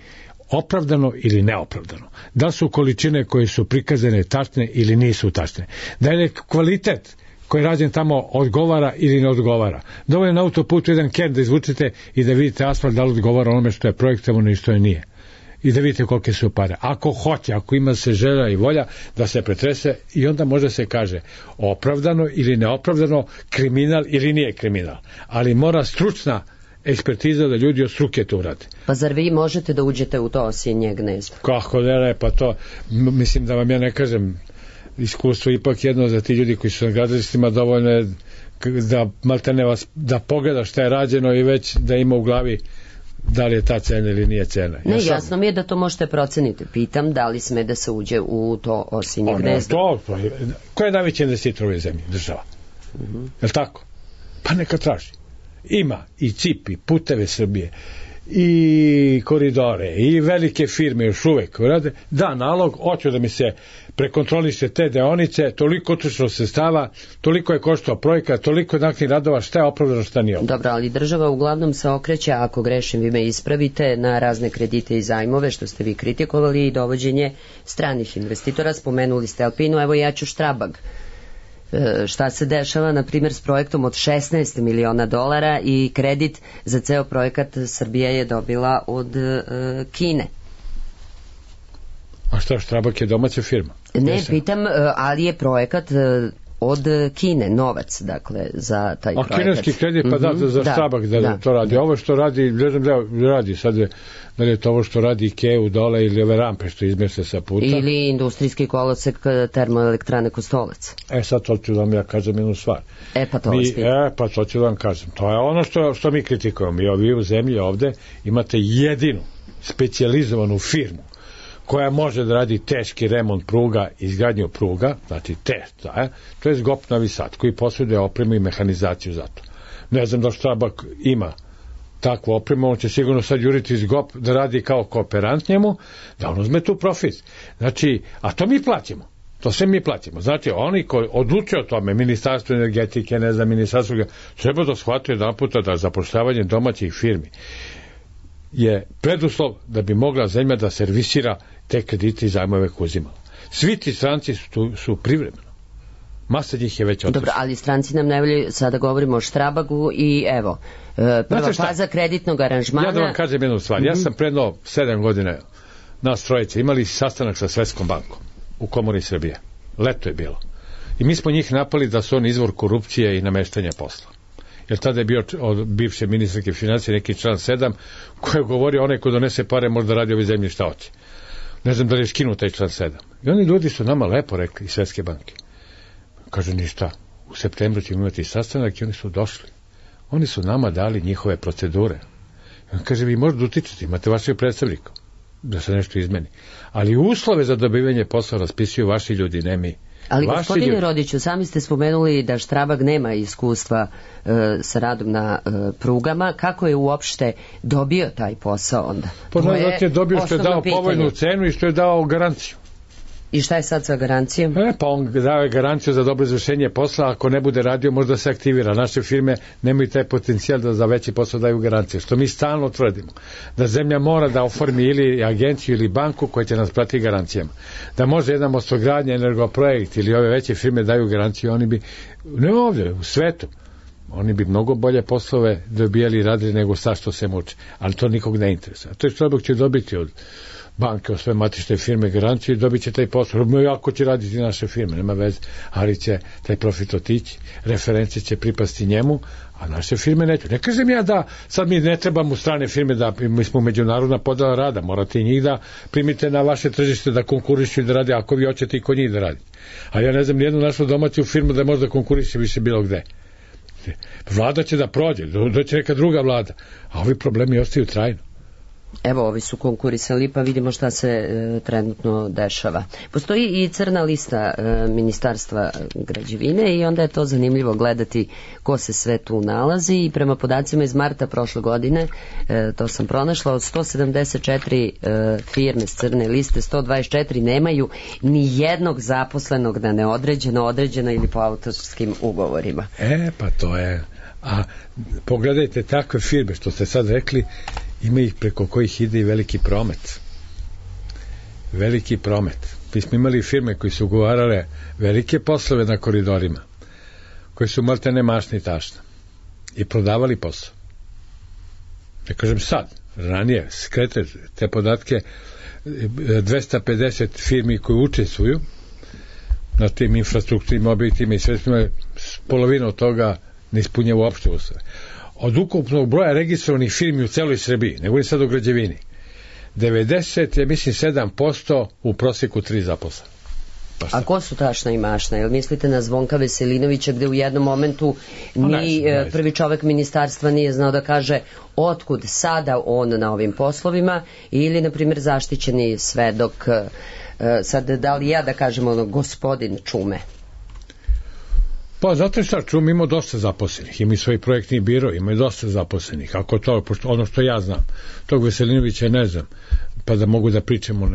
opravdano ili neopravdano. Da su količine koje su prikazane tačne ili nisu tačne. Da je kvalitet koji je rađen tamo odgovara ili ne odgovara. Dovoljno na autoputu jedan ken da izvučete i da vidite asfalt da li odgovara onome što je projektovano i što je nije. I da vidite kolike su pare. Ako hoće, ako ima se želja i volja da se pretrese i onda može se kaže opravdano ili neopravdano, kriminal ili nije kriminal. Ali mora stručna ekspertiza da ljudi od struke to urade.
Pa zar vi možete da uđete u to osinje gnezdo?
Kako ne, pa to mislim da vam ja ne kažem, iskustvo ipak jedno za ti ljudi koji su na gradilištima, dovoljno je da maltene vas, da pogleda šta je rađeno i već da ima u glavi da li je ta cena ili nije cena.
Ne, jasno mi je da to možete proceniti. Pitam da li sme da se uđe u to osinje gnezdo.
Ko je najveći investitor u ovoj zemlji? Država. Je li tako? Pa neka traži. Ima i CIP, i Puteve Srbije, i koridore i velike firme još uvek rade, da nalog, hoću da mi se prekontroliše te deonice, toliko utrošeno sredstava, toliko je koštao projekat, toliko je naknadnih radova, šta je opravdano, šta nije opravdano.
Dobro, ali država uglavnom se okreće, ako grešim vi me ispravite, na razne kredite i zajmove, što ste vi kritikovali, i dovođenje stranih investitora. Spomenuli ste Alpinu, evo ja ću Štrabag. Šta se dešava, na primjer, s projektom od $16 miliona i kredit za ceo projekat Srbija je dobila od Kine.
A šta, Štrabag je domaća firma?
Ne, pitam, ali je projekat od Kine, novac, dakle, za taj projekat.
A kineski kredit, pa za Štrabag da to radi. Ovo što radi, ne znam da radi sad, da li je to ovo što radi Ikeu dole ili ove rampe što izmese sa puta.
Ili industrijski kolosek termoelektrane Kostolac.
Sad to ću vam ja kažem jednu stvar.
Pa to
ću vam kažem. To je ono što mi kritikujemo. Vi u zemlji ovde imate jedinu specijalizovanu firmu koja može da radi teški remont pruga, izgradnju pruga, znači to je ZGOP Novi Sad, koji posjeduje opremu i mehanizaciju za to. Ne znam da Štrabag ima takvu opremu, on će sigurno sad juriti ZGOP da radi kao kooperant njemu, da on uzme tu profit. Znači, a to mi platimo. To sve mi platimo. Znači, oni koji odlučuju o tome, Ministarstvo energetike, ne znam, Ministarstvo, treba da shvatuje jedan puta da zapošljavanje domaćih firmi je preduslov da bi mogla zemlja da servisira te kredite i zajmove koje uzimala. Svi ti stranci su privremeno. Masa njih je već otišla.
Dobro, ali stranci nam ne volju, sada govorimo o Štrabagu i evo, prva faza kreditnog aranžmana.
Ja da vam kažem jednu stvar. Ja sam predno 7 godina nas trojice imali sastanak sa Svetskom bankom u Komori Srbije. Leto je bilo. I mi smo njih napali da su oni izvor korupcije i nameštanja posla. Jer tada je bio od bivše ministarke financije neki član 7 koji je govorio onaj ko donese pare možda radi ovoj zemlji šta hoće. Ne znam da li je skinuo taj član 7. I oni ljudi su nama lepo rekli iz Svetske banke. Kaže ništa, u septembru ćemo imati sastanak i oni su došli. Oni su nama dali njihove procedure. On kaže, vi možete utičiti, imate vašeg predstavnika da se nešto izmeni. Ali uslove za dobivanje posla raspisuju vaši ljudi, ne mi.
Ali gospodine Rodiću, sami ste spomenuli da Štrabag nema iskustva sa radom na prugama. Kako je uopšte dobio taj posao onda?
Zato je dobio što je dao povoljnu cenu i što je dao garanciju.
I šta je sad sa garancijom?
Pa on daje garanciju za dobro izvršenje posla, ako ne bude radio možda se aktivira. Naše firme nemaju taj potencijal da za veći posao daju garancije, što mi stalno tvrdimo. Da zemlja mora da oformi ili agenciju ili banku koja će nas pratiti garancijama. Da može jedna mostogradnja, energoprojekt ili ove veće firme daju garanciju, oni bi, ne ovdje, u svetu, oni bi mnogo bolje poslove dobijali i radili nego sad što se muče. Ali to nikog ne interesuje. To je Štrabag će dobiti od banke, od sve matične firme garanciju i dobit će taj posao. Ako će raditi naše firme, nema veze, ali će taj profit otići, reference će pripasti njemu, a naše firme neće. Ne kažem ja da sad mi ne trebamo strane firme, da mi smo međunarodna podela rada, morate i njih da primite na vaše tržište da konkurišu i da rade, ako vi hoćete i kod njih da radite. A ja ne znam nijednu našu domaću firmu da može da konkuriše više bilo gde. Vlada će da prođe, doće neka druga vlada, a ovi problemi ostaju trajno.
Evo, ovi su konkurisali, pa vidimo šta se trenutno dešava. Postoji i crna lista Ministarstva građevine i onda je to zanimljivo gledati ko se sve tu nalazi i prema podacima iz marta prošle godine, to sam pronašla, od 174 firme s crne liste, 124 nemaju ni jednog zaposlenog na neodređeno, određeno ili po autorskim ugovorima.
Pa to je... A pogledajte takve firme, što ste sad rekli, ima ih preko kojih ide i veliki promet. Veliki promet. Mi smo imali firme koji su ugovarale velike poslove na koridorima, koji su maltene mašni tašna i prodavali posao. Ne kažem sad, ranije, skrete te podatke, 250 firmi koji učestvuju na tim infrastrukturnim objektima i sredstvima, polovina od toga ne ispunjava uopšte uslove. Od ukupnog broja registrovanih firmi u celoj Srbiji, ne govorim sad o građevini, 97% u prosjeku 3 zaposlena.
A ko su tašna i mašna? Jel mislite na Zvonka Veselinovića gde u jednom momentu ni prvi čovek ministarstva nije znao da kaže otkud sada on na ovim poslovima, ili na primjer zaštićeni svedok, sad da li ja da kažem gospodin Čume?
Pa zato šta, čujem, ima dosta zaposlenih, ima i svoj projektni biro, ima i dosta zaposlenih, ako to, pošto ono što ja znam, tog Veselinovića ne znam, pa da mogu da pričamo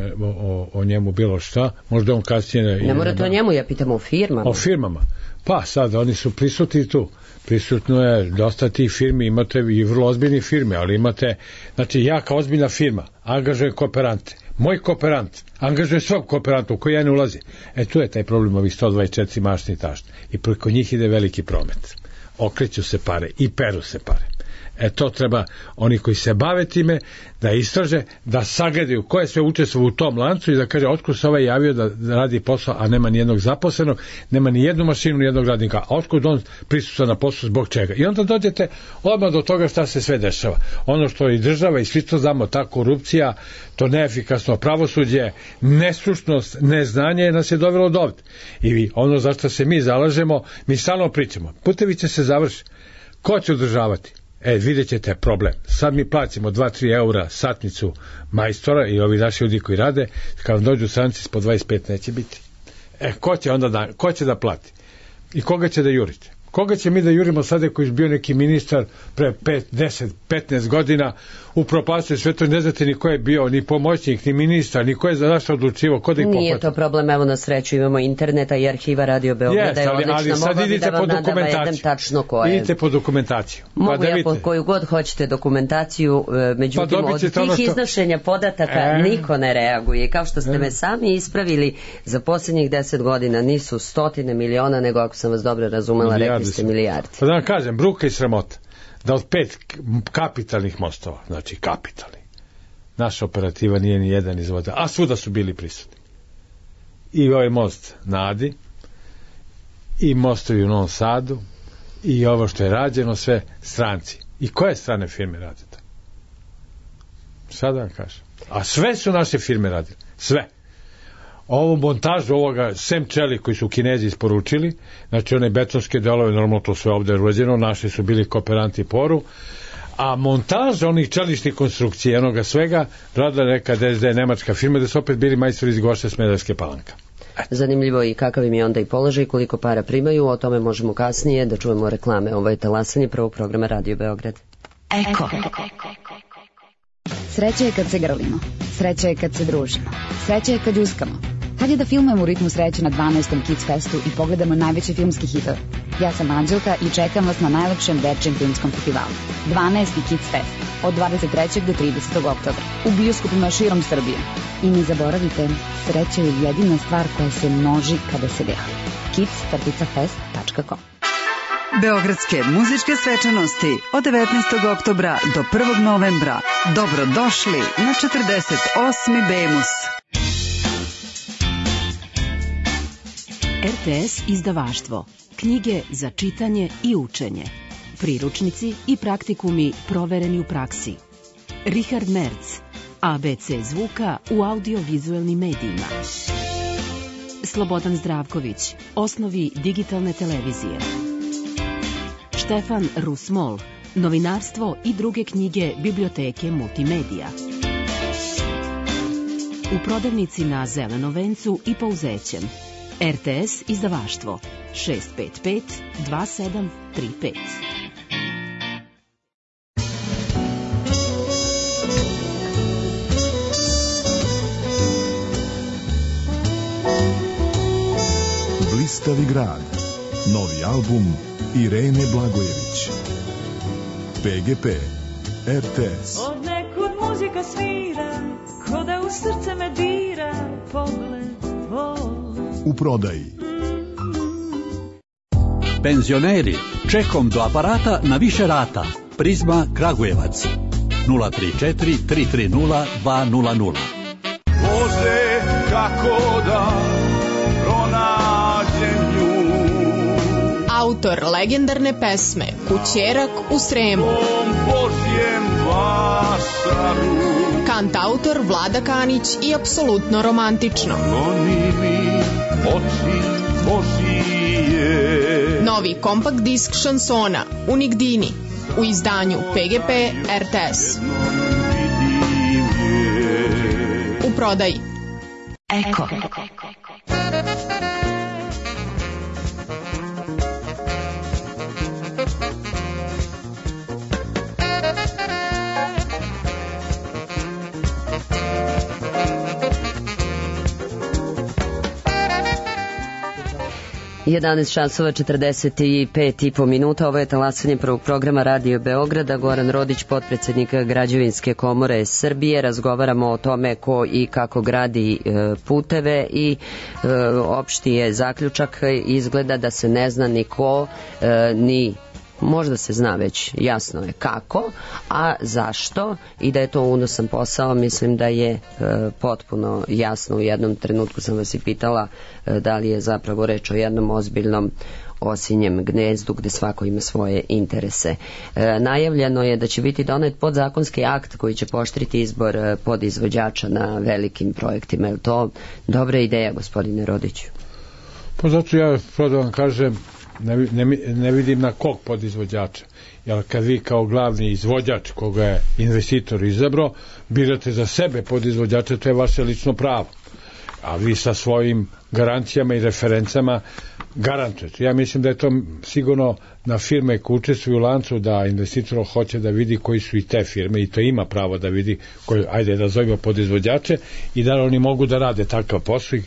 o njemu bilo šta, možda on kasnije...
Ne morate o njemu, ja pitam o firmama.
O firmama, pa sad, oni su prisutni tu, prisutno je dosta tih firmi, imate i vrlo ozbiljne firme, ali imate, znači ja kao ozbiljna firma angažujem kooperante, moj kooperant angažuje svog kooperanta u koji ja ne ulazi. Tu je taj problem ovih 124 mašni tašni. I preko njih ide veliki promet. Okreću se pare i peru se pare. To treba oni koji se bave time da istraže, da sagledaju ko je sve učestvovao u tom lancu i da kaže otkud se ovaj javio da radi posao, a nema ni jednog zaposlenog, nema ni jednu mašinu, ni jednog radnika, a otkud on prisustva na poslu, zbog čega. I onda dođete odmah do toga šta se sve dešava. Ono što i država i svi to znamo, ta korupcija, to neefikasno pravosuđe, nestručnost, neznanje nas je dovelo do ovde. I ono za što se mi zalažemo, mi stalno pričamo. Putevi će se završiti. Ko će održavati? Vidjet ćete problem. Sad mi plaćamo 2-3 eura satnicu majstora i ovi naši ljudi koji rade, kad vam dođu stranci po 25 neće biti. Ko će da plati? I koga će da jurite? Koga će mi da jurimo sada koji je bio neki ministar pre 5, 10, 15 godina upropastio sve to, ne znate ni ko je bio, ni pomoćnik, ni ministar, ni ko je za zašto odlučivo, ko da ih pohvata.
Nije to problem, evo na sreću imamo interneta i arhiva Radio Beograda je odlična, mogla bi da vam navedem tačno ko je.
Idite po dokumentaciju.
Mogu ja po koju god hoćete dokumentaciju, međutim od tih iznošenja podataka niko ne reaguje. Kao što ste me sami ispravili, za posljednjih 10 godina nisu 100 miliona, nego ako sam vas dobro razumela, rekli ste milijardi.
Pa da vam kažem, bruka i sramota da od 5 kapitalnih mostova, znači kapitalni, naša operativa nije ni jedan izvoda, a svuda su bili prisutni. I ovaj most na Adi, i mostovi u Novom Sadu, i ovo što je rađeno, sve stranci. I koje strane firme rade to? Sad vam kažem. A sve su naše firme radile. Sve. Ovu montažu ovoga, sem čeli koji su Kinezi isporučili, znači one betonske delove, normalno to sve ovde je urađeno, naši su bili kooperanti Poru, a montaž onih čeličnih konstrukcija, onoga svega, radila neka DSD nemačka firma, da su opet bili majstori iz Goše Smederevske Palanka.
Zanimljivo i kakav im je onda i položaj, koliko para primaju, o tome možemo kasnije da čujemo reklame. Ovo je talasanje prvog programa Radio Beograd.
Eko. Sreća je kad se grlimo, sreća je kad se družimo, sreća je kad uskamo. Hajde da filmujemo u ritmu sreće na 12. Kids Festu i pogledamo najveće filmski hitove. Ja sam Anđelka i čekam vas na najlepšem dečjem filmskom festivalu. 12. Kids Fest od 23. do 30. oktobra u bioskopima širom Srbije. I ne zaboravite, sreća je jedina stvar koja se množi kada se deli. kids-fest.com.
Beogradske muzičke svečanosti od 19. oktobra do 1. novembra. Dobrodošli na 48. Bemus.
RTS izdavaštvo. Knjige za čitanje i učenje. Priručnici i praktikumi provereni u praksi. Richard Merz. ABC zvuka u audiovizuelnim medijima. Slobodan Zdravković. Osnovi digitalne televizije. Štefan Rusmol. Novinarstvo i druge knjige biblioteke Multimedija. U prodavnici na Zelenom vencu i Pouzećem. RTS izdavaštvo 655 2735.
Blistavi grad. Novi album Irene Blagojević. PGP RTS.
Od nekud muzika svira, ko da u srce me dira, pogled tvoj.
U prodaji.
Penzioneri, čekom do aparata na više rata. Prizma Kragujevac 034 330 200.
Bože, kako da pronađem nju.
Autor legendarne pesme Kućerak u Sremu.
Božjem vašaru.
Kantautor Vlada Kanić i apsolutno romantično.
Oni mi oči Božije.
Novi kompakt disk šansona Unigdini u izdanju PGP RTS. U prodaji.
Eko.
11 časova 45,5 minuta. Ovo je talasanje prvog programa Radio Beograda. Goran Rodić, potpredsednik Građevinske komore Srbije. Razgovaramo o tome ko i kako gradi puteve i opšti je zaključak. Izgleda da se ne zna ni ko, ni možda se zna već, jasno je kako, a zašto, i da je to unosan posao, mislim da je potpuno jasno. U jednom trenutku sam vas i pitala da li je zapravo reč o jednom ozbiljnom osinjem gnezdu gde svako ima svoje interese. Najavljeno je da će biti donet podzakonski akt koji će pooštriti izbor podizvođača na velikim projektima. Je li to dobra ideja, gospodine Rodiću?
Pa zato ja da vam kažem, ne vidim na kog podizvođača, jer kad vi kao glavni izvođač koga je investitor izabrao birate za sebe podizvođača, to je vaše lično pravo, a vi sa svojim garancijama i referencama garantujete. Ja mislim da je to sigurno na firme koje učestvuju u lancu, da investitor hoće da vidi koji su i te firme, i to ima pravo da vidi koji, ajde da zovemo podizvođače, i da oni mogu da rade takav posao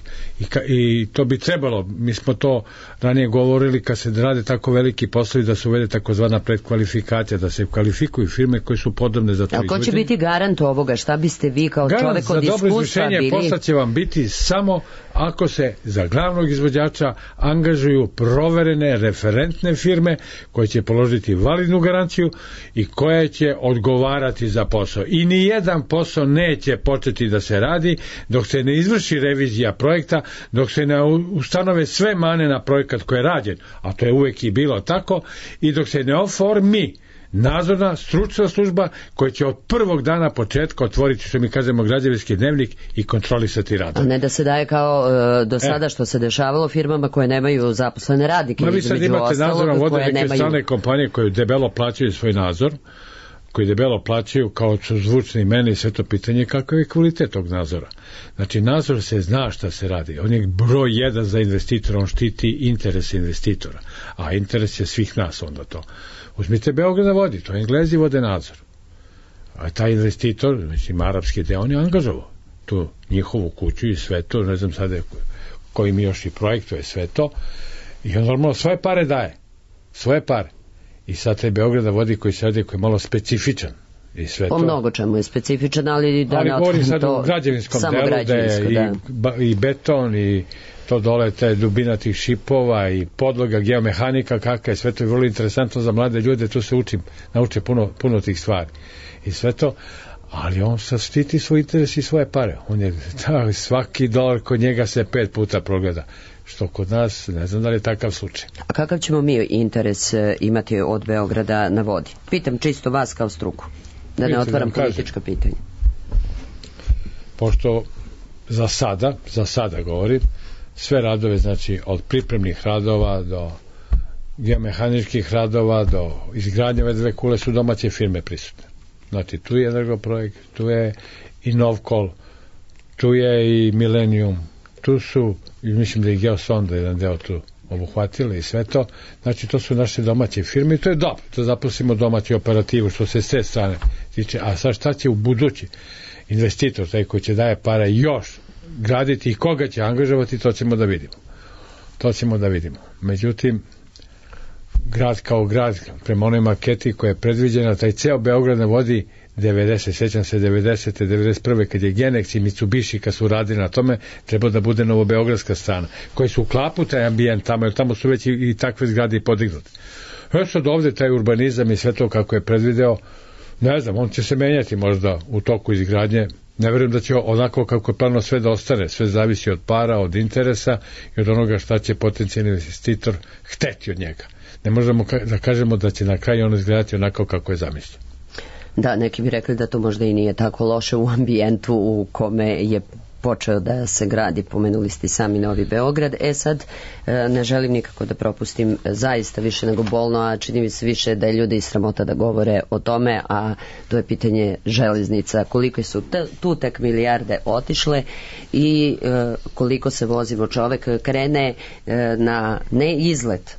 i to bi trebalo. Mi smo to ranije govorili, kad se rade tako veliki poslovi, da se uvede takozvana predkvalifikacija, da se kvalifikuju firme koje su podobne za to.
A ko će biti garant ovoga? Šta biste vi kao čovek od iskustva bili?
Posla će vam biti samo ako se za glavnog izvođača angažuju proverene, referentne firme koje će položiti validnu garanciju i koje će odgovarati za posao. I ni jedan posao neće početi da se radi dok se ne izvrši revizija projekta, dok se ne ustanove sve mane na projekat koji je rađen, a to je uvek i bilo tako, i dok se ne oformi nadzorna stručna služba koja će od prvog dana početka otvoriti, što mi kažemo, građevinski dnevnik i kontrolisati rad.
A ne da se daje kao do sada što se dešavalo firmama koje nemaju zaposlene radnike.
Vi sad imate nadzorom vode neke strane kompanije koje debelo plaćaju svoj nadzor, koji debelo plaćaju, kao su zvučni imena, i sve to pitanje kakav je kvalitet tog nadzora. Znači, nadzor se zna šta se radi. On je broj 1 za investitora, on štiti interese investitora, a interes je svih nas onda to. Uzmite Beograd na vodi, to Englezi vode nadzor. A taj investitor, mislim, arapski deo, on je angažovao tu njihovu kuću i sve to, ne znam sada koji mi još i projektuje sve to, i on normalno svoje pare daje. Svoje pare. I sad taj Beograd na vodi koji se radi, koji je malo specifičan. I sve
po
to.
Mnogo čemu je specifičan, ali da ne
govorim sad u građevinskom delu, da je i beton, i to dole, te dubina tih šipova i podloga, geomehanika, kakva je, sve to je vrlo interesantno za mlade ljude, tu se nauče puno tih stvari. I sve to, ali on sad štiti svoj interes i svoje pare. On je, svaki dolar kod njega se 5 puta progleda. Što kod nas, ne znam da li je takav slučaj.
A kakav ćemo mi interes imati od Beograda na vodi? Pitam čisto vas kao struku, da ne otvaram politička pitanja.
Pošto za sada govorim, sve radove, znači od pripremnih radova do geomehaničkih radova do izgradnje ove dve kule su domaće firme prisutne. Znači tu je Energoprojekt, tu je i Novkol, tu je i Millennium, tu su, mislim da je Geosonda jedan deo tu obuhvatili i sve to. Znači to su naše domaće firme i to je dobro, to zaposlimo domaću operativu što se s te strane tiče. A sad šta će u budući investitor, taj koji će daje pare još graditi i koga će angažovati, to ćemo da vidimo. Međutim, grad kao grad, prema onoj maketi koja je predviđena, taj ceo Beograd na vodi 90, 91. kad je Genex i Mitsubishi kad su radili na tome, treba da bude novobeogradska strana, koji su uklapu taj ambijent tamo, jer tamo su već i takve zgrade i podignute. Sad ovde taj urbanizam i sve to kako je predvideo, ne znam, on će se menjati možda u toku izgradnje. Ne verujem da će onako kako je plano sve da ostane, sve zavisi od para, od interesa i od onoga šta će potencijalni investitor hteti od njega. Ne možemo da kažemo da će na kraju ono izgledati onako kako je zamislio.
Da, neki bi rekli da to možda i nije tako loše u ambijentu u kome je počeo da se gradi, pomenuli ste sami Novi Beograd. Sad ne želim nikako da propustim, zaista više nego bolno, a čini mi se više da je ljudi sramota da govore o tome, a to je pitanje železnica, koliko su tu tek milijarde otišle i koliko se vozimo. Čovek krene na ne izlet,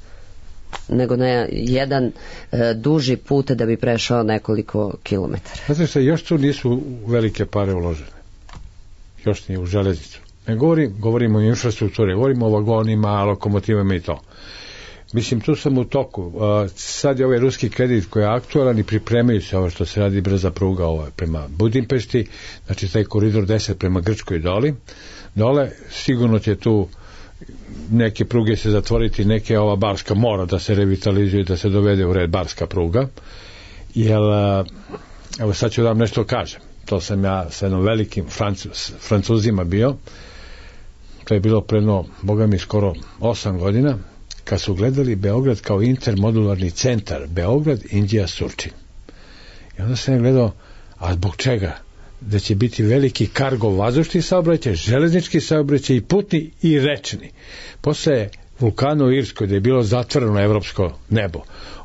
nego na jedan duži put da bi prešao nekoliko kilometara.
Znate se, još tu nisu velike pare uložene. Još nije u železnicu. Ne govorimo o infrastrukturi, govorimo o vagonima, lokomotivama i to. Mislim, tu sam u toku. Sad je ovaj ruski kredit koji je aktualan i pripremaju se ovo što se radi brza pruga prema Budimpešti, znači taj koridor 10 prema Grčkoj dole, sigurno će tu neke pruge se zatvoriti, neke ova barska mora da se revitalizuje, da se dovede u red barska pruga, jer evo sad ću da vam nešto kažem. To sam ja sa jednom velikim Francuzima bio, to je bilo predno, boga mi, skoro 8 godina, kad su gledali Beograd kao intermodularni centar, Beograd, Indija, Surčin. I onda sam gledao, a zbog čega? Da će biti veliki kargo vazdušni saobraćaj, železnički saobraćaj i putni i rečni. Posle vulkana u Irskoj, da je bilo zatvoreno evropsko nebo,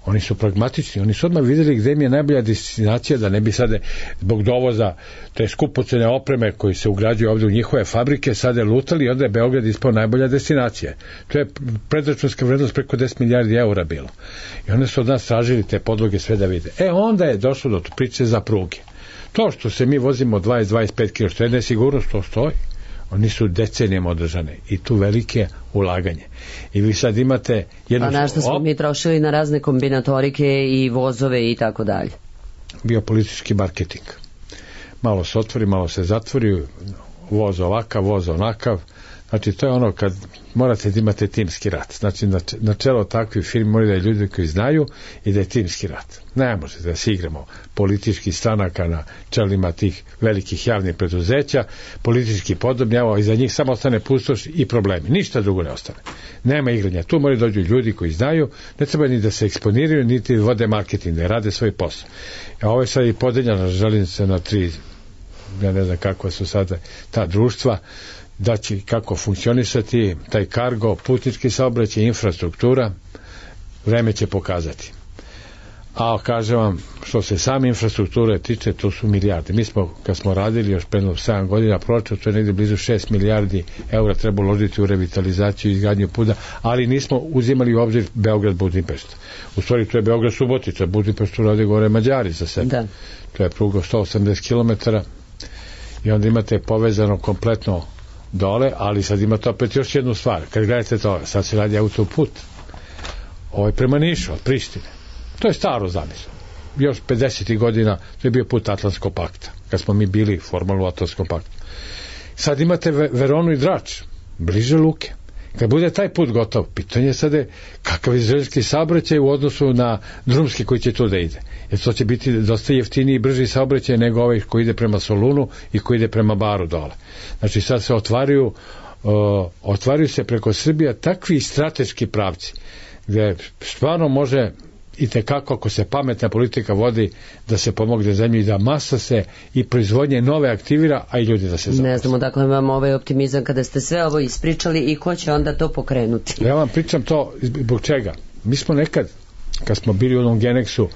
oni su pragmatični, oni su odmah videli gde im je najbolja destinacija, da ne bi sada zbog dovoza te skupocene opreme koji se ugrađuju ovde u njihove fabrike sada lutali i onda je Beograd ispao najbolja destinacija. To je predračunska vrednost preko 10 milijardi eura bilo. I onda su od nas tražili te podloge sve da vide. Onda je došlo do priče za pruge. To što se mi vozimo 20-25 km, što je nesigurnost, to stoji. Oni su decenijama održane i tu velike ulaganje. I vi sad imate jednu...
Pa našta smo mi trošili na razne kombinatorike i vozove i tako dalje.
Bio politički marketing. Malo se otvori, malo se zatvori, voz ovakav, voz onakav. Znači, to je ono kad morate da imate timski rat. Znači, na čelo takvih firmi moraju da je ljudi koji znaju i da je timski rat. Ne možete da se igramo političkih stranaka na čelima tih velikih javnih preduzeća, politički podobni, a iza njih samo ostane pustoš i problemi. Ništa drugo ne ostane. Nema igranja. Tu moraju dođu ljudi koji znaju, ne treba ni da se eksponiraju, niti vode marketing, da rade svoj posao. A ovo je sad i podeljena železnica na 3, ja ne znam kako su sada ta društva, da će kako funkcionisati taj kargo, putnički saobraćaj, infrastruktura, vreme će pokazati. A kažem vam, što se same infrastrukture tiče, to su milijarde. Mi smo, kad smo radili još predno 7 godina proračun, to je negdje blizu 6 milijardi eura treba uložiti u revitalizaciju i izgradnju puta, ali nismo uzimali u obzir Beograd-Budimpešta. U stvari to je Beograd-Subotica, Budimpeštu rade gore Mađari za sebe. Da. To je pruga 180 km i onda imate povezano kompletno dole, ali sad imate opet još jednu stvar. Kad gledate to, sad se radi autoput. Ovo je prema Nišu, od Prištine. To je staro zamislo. Još 50. godina to je bio put Atlantskog pakta, kad smo mi bili formalno u Atlantskom paktu. Sad imate Veronu i Drač, bliže luke. Kad bude taj put gotov, pitanje sad je kakav je željeznički saobraćaj u odnosu na drumski koji će tu da ide. Jer to će biti dosta jeftiniji i brži saobraćaj nego ovaj koji ide prema Solunu i koji ide prema Baru dole. Znači sad se otvaraju se preko Srbija takvi strateški pravci gde stvarno može i tekako ako se pametna politika vodi da se pomogne zemlji i da masa se i proizvodnje nove aktivira, a i ljudi da se zaposle.
Ne znamo dakle vam ovaj optimizam kada ste sve ovo ispričali i ko će onda to pokrenuti.
Ja vam pričam to zbog čega. Mi smo nekad, kad smo bili u onom Genexu,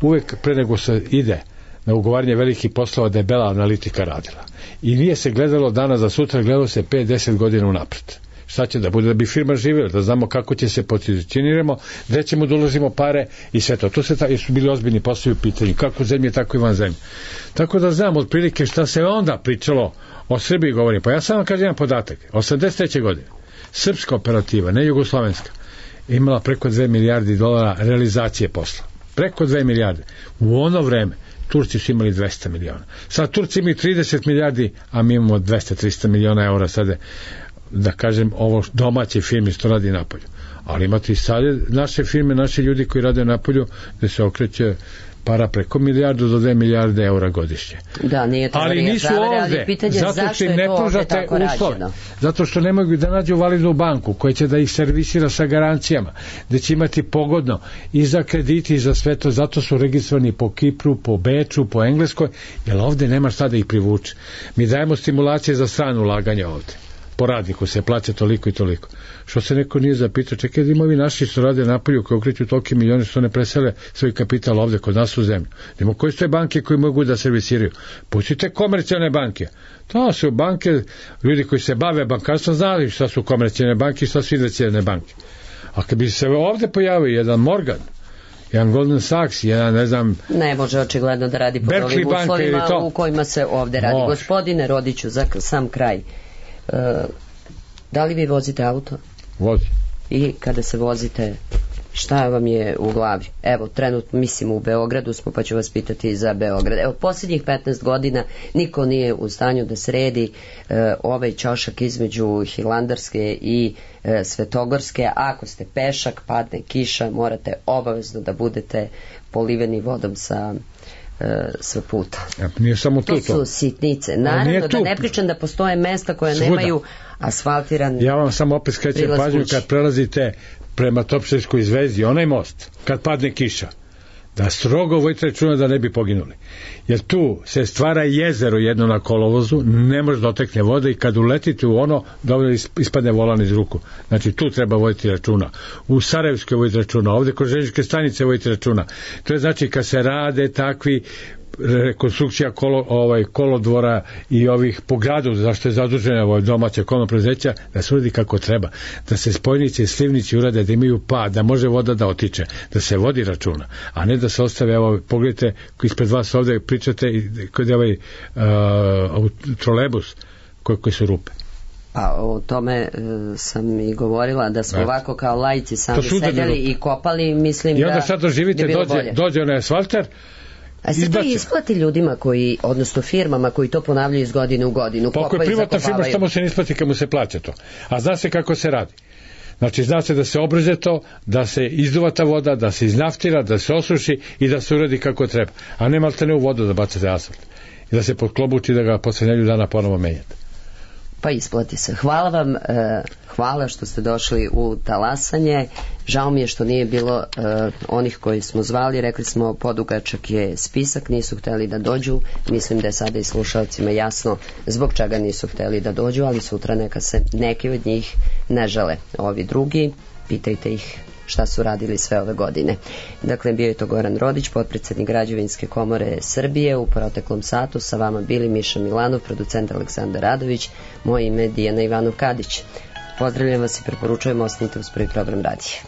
uvek pre nego se ide na ugovaranje velikih poslova da je bela analitika radila. I nije se gledalo danas za sutra, gledalo se 5-10 godina unapred. Šta će da bude da bi firma živjela, da znamo kako će se pozicioniramo, gde ćemo da uložimo pare i sve to. To su bili ozbiljni poslovi u pitanju, kako zemlje, tako i van zemlje. Tako da znam otprilike šta se onda pričalo o Srbiji govorim. Pa ja samo kažem jedan podatak. 83. godine srpska operativa, ne jugoslovenska, imala preko 2 milijardi dolara realizacije posla. Preko 2 milijarde. U ono vreme Turci su imali 200 miliona. Sad Turci imaju 30 milijardi, a mi imamo 200-300 miliona eura sada, da kažem, ovo domaće firme što radi napolju. Ali imate i sad naše firme, naši ljudi koji rade napolju, gde se okreće para preko milijardu do 2 milijarde eura godišnje.
Da, nije to
ali nisu ovde, zato što im ne pružate uslove. Zato što ne mogu da nađu validnu banku koja će da ih servisira sa garancijama, da će imati pogodno i za krediti i za sve to, zato su registrovani po Kipru, po Beču, po Engleskoj, jer ovde nema šta da ih privuče. Mi dajemo stimulacije za strano ulaganje ovde. Po radniku se plaća toliko i toliko. Što se neko nije zapitao, čekaj da ima ovi naši što rade napolju, koji okreću toliki milioni, što ne presele svoj kapital ovde kod nas u zemlju. Nemo koje su te banke koji mogu da servisiraju? Pustite komercijalne banke. To su banke, ljudi koji se bave bankarstvom znali šta su komercijalne banke i šta su investicione banke. A kad bi se ovde pojavio jedan Morgan, jedan Goldman Sachs, jedan, ne znam...
Ne može očigledno da radi pod ovim uslovima u kojima se ovde radi. Gospodine Rodiću, za sam kraj. Da li vi vozite auto?
Vozi.
I kada se vozite, šta vam je u glavi? Evo, trenutno mislim u Beogradu smo, pa ću vas pitati za Beograd. Evo, posljednjih 15 godina niko nije u stanju da sredi ovaj ćošak između Hilandarske i Svetogorske. Ako ste pešak, padne kiša, morate obavezno da budete poliveni vodom sa puta.
Nije samo to
su sitnice. Naravno da ne pričam da postoje mesta koje nemaju asfaltiran.
Ja vam samo opet skrećem pažnju kad prelazite prema Topšerskoj zvezdi, onaj most, kad padne kiša, da strogo vodite računa da ne bi poginuli. Jer tu se stvara jezero jedno na kolovozu, ne može dotekne vode i kad uletite u ono, dovoljno ispadne volan iz ruku. Znači tu treba voditi računa. U Sarajevskoj voditi računa, ovdje kroz željezničke stanice voditi računa. To je znači kad se rade takvi rekonstrukcija kolodvora i ovih po gradu, zašto je zadužena domaća komunalna preduzeća, da se uradi kako treba, da se spojnice i slivnici urade, da imaju pad, da može voda da otiče, da se vodi računa, a ne da se ostave, evo pogledajte ispred vas ovde pričate kod je ovaj trolebus koji su rupe.
Pa o tome sam i govorila, da smo ovako kao laici sami sedeli i kopali, mislim da
i onda sad doživite, dođe onaj asfalter.
A se to isplati ljudima koji, odnosno firmama koji to ponavljaju iz godine u godinu.
Pa ako je privatna firma, što mu se ne isplati kad mu se plaća to. A zna se kako se radi. Znači zna se da se obrže to, da se izduva ta voda, da se iznaftira, da se osuši i da se uradi kako treba. A ne maltene u vodu da bacate asfalt. I da se podklobuči da ga posle nedelju dana ponovo menjate.
Pa isplati se. Hvala vam, hvala što ste došli u talasanje. Žao mi je što nije bilo onih koji smo zvali, rekli smo podugačak je spisak, nisu hteli da dođu. Mislim da je sada i slušalcima jasno zbog čega nisu hteli da dođu, ali sutra neka se neki od njih ne žale. Ovi drugi, pitajte ih šta su radili sve ove godine. Dakle, bio je to Goran Rodić, potpredsednik Građevinske komore Srbije. U proteklom satu sa vama bili Miša Milanov, producent Aleksandar Radović, moje ime Dijana Ivanov Kadić. Pozdravljam vas i preporučujem, ostanite uz prvi program radija.